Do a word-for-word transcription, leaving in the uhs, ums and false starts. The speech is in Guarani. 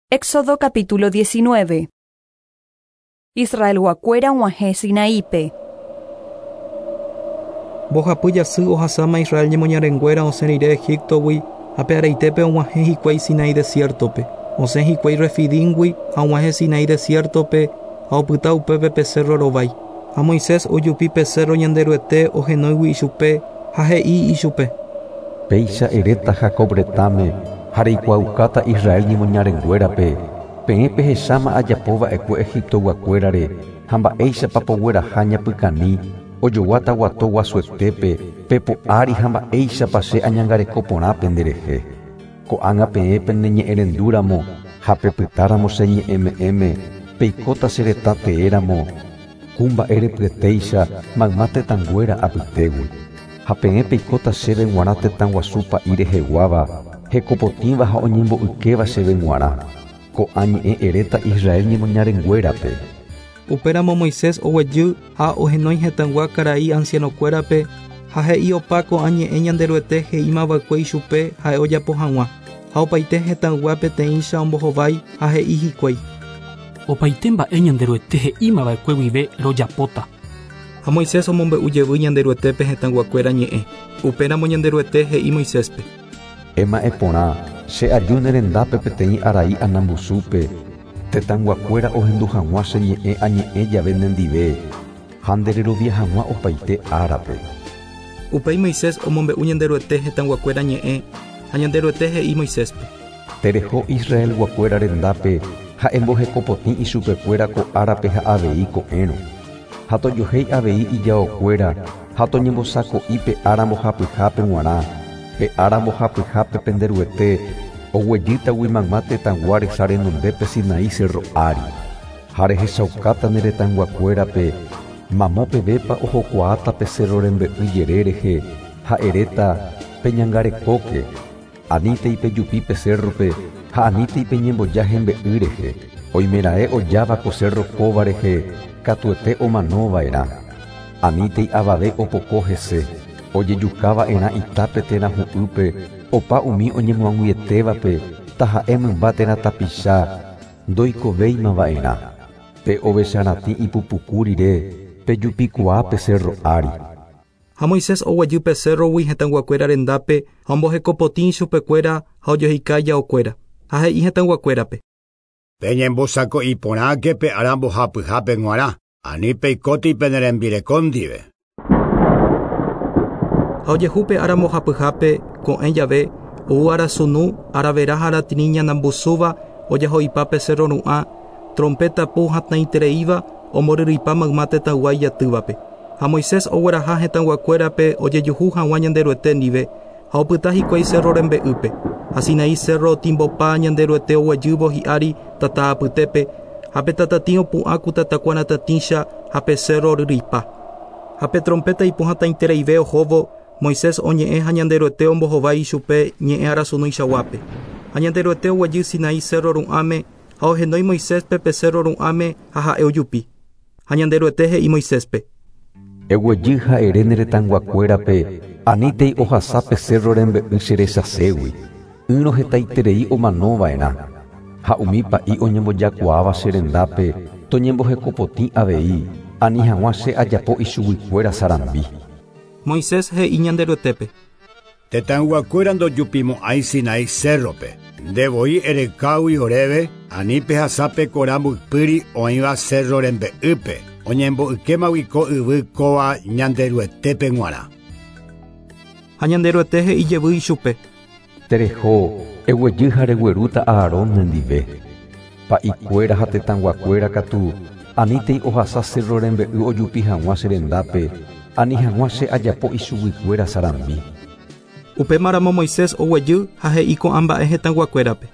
Éxodo capítulo diecinueve. Israelguakuéra og̃uahẽ Sinaípe. Mbohapy jasy ohasáma Israel ñemoñarenguéra osẽ rire Egiptogui ha pe araitépe og̃uahẽ hikuái Sinaí desiertope. Osẽ hikuái Refidíngui ha og̃uahẽ Sinaí desiertope ha opyta upépe pe cerro rovái. Ha Moisés ojupi pe cerro Ñanderuete ohenóigui ichupe ha he'i ichupe. Péicha eréta Jacob retãme ha reikuaaukáta Israel ñemoñarenguérape peẽ pehecháma ajapova'ekue Egiptoguakuérare ha mba'éichapa pogueraha ñapykani ojoguáta guato guasuetépe pepo'ári ha mba'éichapa che añangareko porã penderehe. Ko'ág̃a peẽ peneñe'ẽrendúramo ha pepytáramo che ñe'ẽme'ẽme peikóta che retã teéramo ku mba'erepyetéicha mayma tetãnguéra apytégui. Ha peẽ peikóta chéve g̃uarã tetã guasu pa'i reheguáva hekopotĩva ha oñembo'ykéva chéve g̃uarã. Ko'ã ñe'ẽ eréta Israel ñemoñarenguérape. Upéramo Moisés oguejy ha ohenói hetãgua karai ancianokuérape ha he'i opa ko'ã ñe'ẽ Ñanderuete he'ímava'ekue ichupe ha'e ojapo hag̃ua. Ha opaite hetãgua peteĩcha ombohovái ha he'i hikuái. Opaite mba'e Ñanderuete he'ímava'ekue guive rojapóta. Ha Moisés omombe'u jevy Ñanderuetépe hetãguakuéra ñe'ẽ. Upéramo Ñanderuete he'i Moiséspe. Ema'ẽ porã che aju ne rendápe peteĩ arai anambusúpe tetãnguakuéra ohendu hag̃ua che ñe'ẽ añe'ẽ jave nendive ha ndererovia hag̃ua opaite árape. Upéi Moisés omombe'u Ñanderuete hetãguakuéra ñe'ẽ ha Ñanderuete he'i Moiséspe. Tereho Israelguakuéra rendápe ha embohekopotĩ ichupekuéra ko árape ha avei ko'ẽrõ. Ha tojohéi avei ijaokuéra ha toñembosako'i pe ára mbohapyhápe g̃uarã. Pe ára mbohapyhápe penderuete oguejýtagui mayma tetãgua resa renondépe Sinaí cerro ári. Ha rehechaukáta ne retãnguakuérape mamo pevépa ohokuaáta pe cerro rembe'y jere rehe ha eréta peñangarekóke. Anítei pejupi pe cerrope ha anítei peñemboja hembe'y rehe. Oimeraẽ ojáva ko cerro kóva rehe katuete omanova'erã. Anítei avave opoko hese. Ojejukava'erã itápe térã hu'ýpe opa umi oñemoag̃uietévape taha'e mymba térã tapicha ndoikovéimava'erã. Pe ovecharatĩ ipupuku rire pejupikuaa pe cerro ári. Ha Moisés oguejy pe cerrogui hetãguakuéra rendápe ha ombohekopotĩ ichupekuéra ha ojoheka ijaokuéra. Ha he'i hetãguakuérape. Peñembosako'i porãke pe ára mbohapyhápe g̃uarã, ani peikóti pene rembireko ndive. Ha ojehu pe ára mbohapyhápe ko'ẽ jave ou arasunu aravera ha aratiri ñanambusúva ojaho'ipa pe cerro ru'ã trompeta pu hatãitereíva omboryryipa mayma tetãygua ijatývape. Ha Moisés ogueraha hetãguakuérape ojejuhu hag̃ua Ñanderuete ndive ha opyta hikuái cerro rembe'ýpe. Ha Sinaí cerro otimbopa Ñanderuete oguejývo hi'ári tata apytépe ha pe tatatĩ opu'ã ku tatakuaratatĩcha ha pe cerro oryryipa. Ha pe trompeta ipuhatãitereive ohóvo Moisés oñe'ẽ ha Ñanderuete ombohovái ichupe ñe'ẽ arasunuichaguápe. Ha Ñanderuete oguejy Sinaí cerro ru'ãme ha ohenói Moiséspe pe cerro ru'ãme ha ha'e ojupi. Ha Ñanderuete he'i Moiséspe. Eguejy ha ere ne retãnguakuérape anítei ohasa pe cerro rembe'y che rechaségui. Ỹrõ hetaiterei omanova'erã. Ha umi pa'i oñembojakuaáva che rendápe toñembohekopotĩ avei ani hag̃ua che ajapo ichuguikuéra sarambi. Moisés he'i Ñanderuetépe. Tetãyguakuéra ndojupimo'ãi Sinaí cerrope. Ndevoi erekágui oréve ani pehasa pe kora mboypýri oĩva cerro rembe'ýpe oñembo'ykémagui ko yvy kóva Ñanderuetépe g̃uarã. Ha Ñanderuete he'i jevy ichupe. Tereho eguejy ha reguerúta Aarón nendive. Pa'ikuéra ha tetãnguakuéra katu anítei ohasa cerro rembe'y ojupi hag̃ua che rendápe ani hag̃ua che ajapo ichuguikuéra sarambi. Upémaramo Moisés oguejy ha he'i ko'ã mba'e hetãguakuérape.